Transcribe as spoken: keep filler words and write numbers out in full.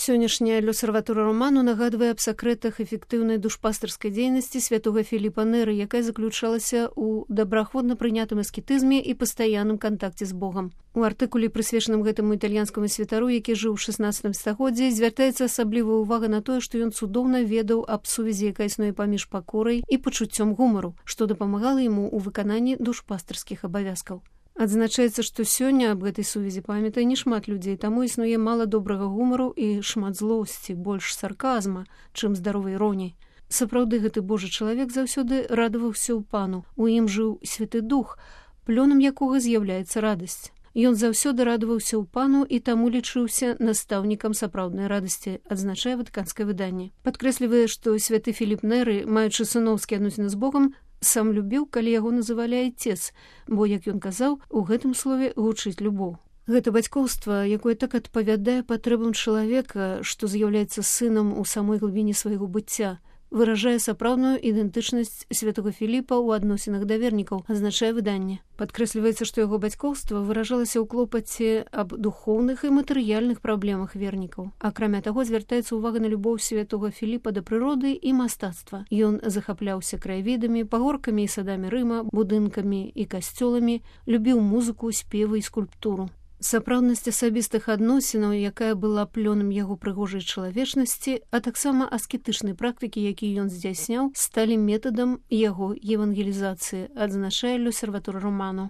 Сённяшняя L'Osservatore Romano нагадвае аб сакрэтах эфектыўнай душпастарскай дзейнасці святога Філіпа Неры, якая заключалася ў добраахвотна прынятым аскетызме і пастаянным кантакце з Богам. У артыкуле, прысвечаным гэтаму італьянскаму святару, які жыў у шаснаццатым стагоддзі, звяртаецца асаблівая ўвага на тое, што ён цудоўна ведаў аб сувязі, якая існуе паміж пакорай і пачуццём гумару, што дапамагала яму ў выкананні душпастарскіх абавязкаў. Адзначаецца, што сёння аб гэтай сувязі памятае не шмат людзей, таму існуе мала добрага гумару і шмат злосці, больш сарказма, чым здаровай іроніі. Сапраўды, гэты Божы чалавек заўсёды радаваўся ў Пану. У ім жыў Святы Дух, плёнам якога з'яўляецца радасць. Ён заўсёды радаваўся ў Пану і таму лічыўся настаўнікам сапраўднай радасці, адзначае ватыканскае выданне. Падкрэслівае, што святы Філіп Неры, маючы сыноўскія адносіны з Богам, сам любіў, калі яго называлі айцец, бо, як ён казаў, у гэтым слове гучыць любоў. Гэта бацькоўства, якое так адпавядае патрэбам чалавека, што з'яўляецца сынам у самой глыбіні свайго быцця, выражае сапраўдную ідэнтычнасць святого Філіпа ў адносінах да вернікаў, азначае выданне. Падкрэсліваецца, што яго бацькоўства выражалася ў клопаце аб духоўных і матэрыяльных праблемах вернікаў. Акрамя таго, звяртаецца ўвага на любоў святога Філіпа да прыроды і мастацтва. Ён захапляўся краявідамі, пагоркамі і садамі Рыма, будынкамі і касцёламі, любіў музыку, спевы і скульптуру. Сапраўднасць асабістых адносінаў, якая была плёнам яго прыгожай чалавечнасці, а таксама аскетычнай практыкі, якія ён здзяйсняў, сталі метадам яго евангелізацыі, адзначае L'Osservatore Romano.